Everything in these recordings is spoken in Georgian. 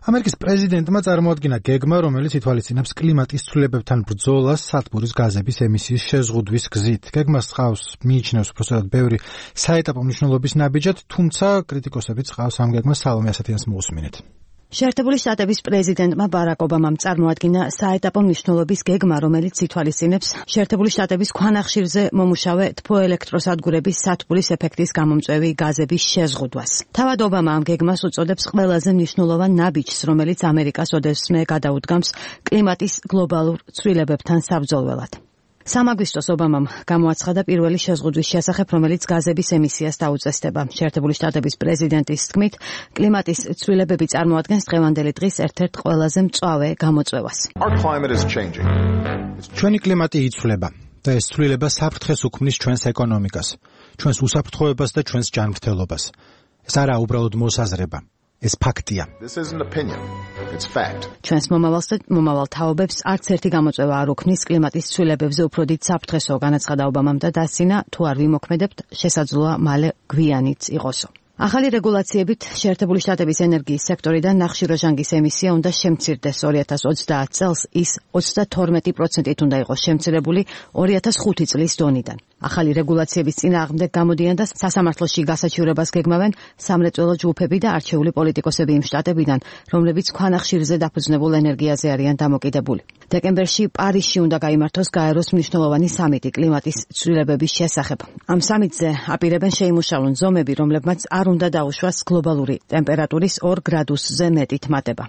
ამერიკის პრეზიდენტმა წარმოადგინა გეგმა, რომელიც ითვალისწინებს კლიმატის ცვლილებებთან ბრძოლას სათბურის გაზების ემისიის შეზღუდვის გზით. გეგმას ჰყავს მიიჩნევს უბრალოდ ბევრი საეტაპო მნიშვნელობის ნაბიჯად, თუმცა კრიტიკოსებიც ჰყავს ამ გეგმას. სალომე ასათიანს მოусმინეთ. შეერთებული შტატების პრეზიდენტმა ბარაკ ობამამ წარმოადგინა საეტაპო მნიშვნელობის გეგმა, რომელიც ითვალისწინებს შეერთებული შტატების ქვანახშირზე მომუშავე თბოელექტროსადგურების სათბურის ეფექტის გამომწვევი გაზების შეზღუდვას. თავად ობამა ამ გეგმას უწოდებს ყველაზე მნიშვნელოვან ნაბიჯს, რომელიც ამერიკას ოდესმე გადაუდგამს კლიმატის გლობალურ ცვლილებებთან საბრძოლველად. სამაგვისტოს ობამამ გამოაცხადა პირველი შეზღუდვის შესახებ, რომელიც გაზების ემისიას დაუწესდება. შეერთებული შტატების პრეზიდენტის თქმით, კლიმატის ცვლილებები წარმოადგენს დღევანდელი დღის ერთ-ერთ ყველაზე მწვავე გამოწვევას. ჩვენი კლიმატი იცვლება და ეს ცვლილება საფრთხეს უქმნის ჩვენს ეკონომიკას, ჩვენს უსაფრთხოებას და ჩვენს ჯანმრთელობას. ეს არაა უბრალოდ მოსაზრება. ეს ფაქტია. ჩვენს მომავალს და მომავალ თაობებს არც ერთი გამოწვევა არ უქმნის კლიმატის ცვლილებებზე უფრო დიდ საფრთხესო, განაცხადა ობამამ და დასცინა, თუ არ ვიმოქმედებთ, შესაძლოა მალე გვიანიც იყოსო. ახალი რეგულაციებით შეერთებული შტატების ენერგიის სექტორიდან ნახშირორჟანგის ემისია უნდა შემცირდეს 2030 წელს, ის 32%-ით უნდა იყოს შემცირებული 2005 წლის დონიდან. ახალი რეგულაციების წინააღმდეგ გამოდიან და სასამართლოში გასაჩივრებას გეგმავენ სამრეწველო ჯგუფები და არჩეული პოლიტიკოსები იმ შტატებიდან, რომლებიც ქვანახშირზე დაფუძნებულ ენერგიაზე არიან დამოკიდებული. დეკემბერში პარიზში უნდა გაიმართოს გაეროს მნიშვნელოვანი სამიტი კლიმატის ცვლილებების შესახებ. ამ სამიტზე აპირებენ შეიმუშავონ ზომები, რომლებმაც არ უნდა დაუშვას გლობალური ტემპერატურის 2 გრადუსზე მეტით მატება.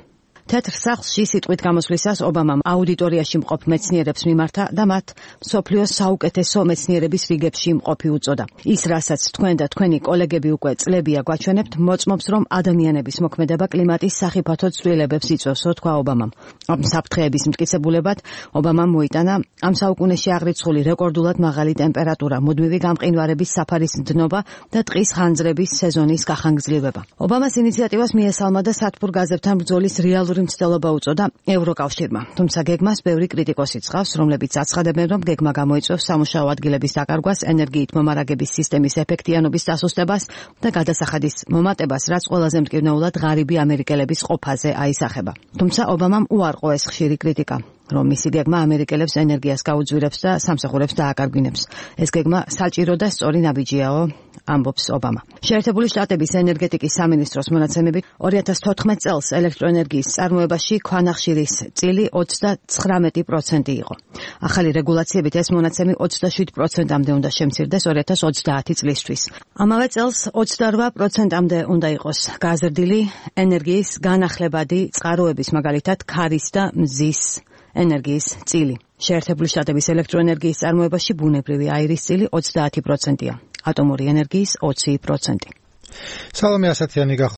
თეთრ სახლში სიტყვით გამოსვლისას ობამამ აუდიტორიაში მყოფ მეცნიერებს მიმართა და მათ მსოფლიოს საუკეთესო მეცნიერების რიგებში მყოფი უწოდა. ის, რასაც თქვენ და თქვენი კოლეგები უკვე წლებია გვაჩვენებთ, მოწმობს, რომ ადამიანების მოქმედება კლიმატის სახიფათო ცვლილებებს იწვევსო, თქვა ობამამ. ამ საფრთხეების მტკიცებულებად ობამამ მოიტანა ამ საუკუნეში აღრიცხული რეკორდულად მაღალი ტემპერატურა, მუდმივი გამყინვარების საფარის დნობა და ტყის ხანძრების სეზონის გახანგრძლივება. ობამას ინიციატივას მიესალმა და სათბურ გაზებთან ბრძოლის რეალური მცდელობა უწოდა ევროკავშირმა. თუმცა გეგმას ბევრი კრიტიკოსი ცხავს, რომლებიც აცხადებენ, რომ გეგმა გამოიწვევს სამუშაო ადგილების დაკარგვას, ენერგიით მომარაგების სისტემის ეფექტიანობის დასუსტებას და გადასახადის მომატებას, რაც ყველაზე მტკივნეულად ღარიბი ამერიკელების ყოფაზე აისახება. თუმცა ობამამ უარყო ეს ხშირი კრიტიკა, რომ მისი გეგმა ამერიკელებს ენერგიას გაუძვირებს და სამსახურებს დააკარგვინებს. ეს გეგმა საჭირო და სწორი ნაბიჯიაო, ამბობს ობამა. შეერთებული შტატების ენერგეტიკის სამინისტროს მონაცემებით 2014 წელს ელექტროენერგიის წარმოებაში ქვანახშირის წილი 39% იყო. ახალი რეგულაციებით ეს მონაცემი 27%-მდე უნდა შემცირდეს 2030 წლისთვის. ამავე წელს 28%-მდე უნდა იყოს გაზრდილი ენერგიის განახლებადი წყაროების, მაგალითად ქარის და მზის ენერგიის წილი. შეერთებული შტატების ელექტროენერგიის წარმოებაში ბუნებრივი აირის წილი 30%-ია, ატომური ენერგიის 20%. სალომე ასათიანი